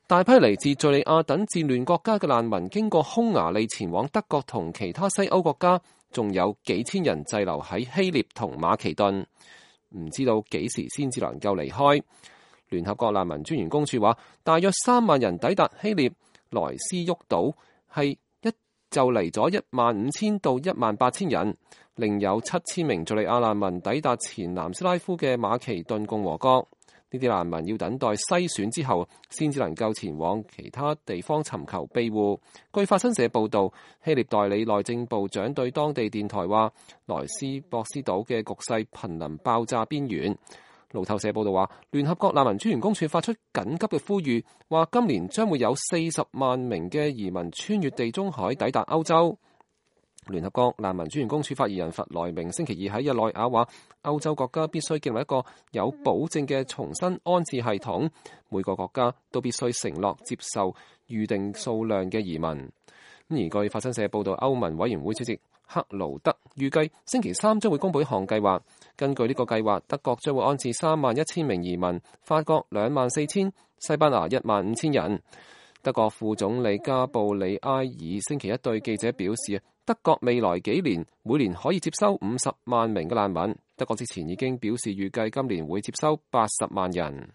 大批嚟自敘利亞等戰亂國家嘅難民經過匈牙利前往德國同其他西歐國家，仲有幾千人滯留喺希臘同馬其頓，唔知道幾時先至能夠離開。聯合國難民專員公署話，大約3萬人抵達希臘萊斯沃島，係就嚟咗15000到18000人，另有7000名敘利亞難民抵達前南斯拉夫嘅馬其頓共和國。呢啲難民要等待篩選之後，先至能夠前往其他地方尋求庇護。據法新社報導，希臘代理內政部長對當地電台話，萊斯博斯島嘅局勢瀕臨爆炸邊緣。路透社報導話，聯合國難民專員公署發出緊急嘅呼籲，話今年將會有40萬名嘅移民穿越地中海抵達歐洲。聯合國難民專員公署發言人弗萊明星期二喺日內瓦話，歐洲國家必須建立一個有保證嘅重新安置系統，每個國家都必須承諾接受預定數量嘅移民。而據法新社報導，歐盟委員會主席克勞德預計星期三將會公佈一項計劃。根據呢個計劃，德國將會安置31000名移民，法國24000，西班牙15000人。德國副總理加布里埃爾星期一對記者表示，德國未來幾年每年可以接收50萬名嘅難民。德國之前已經表示預計今年會接收80萬人。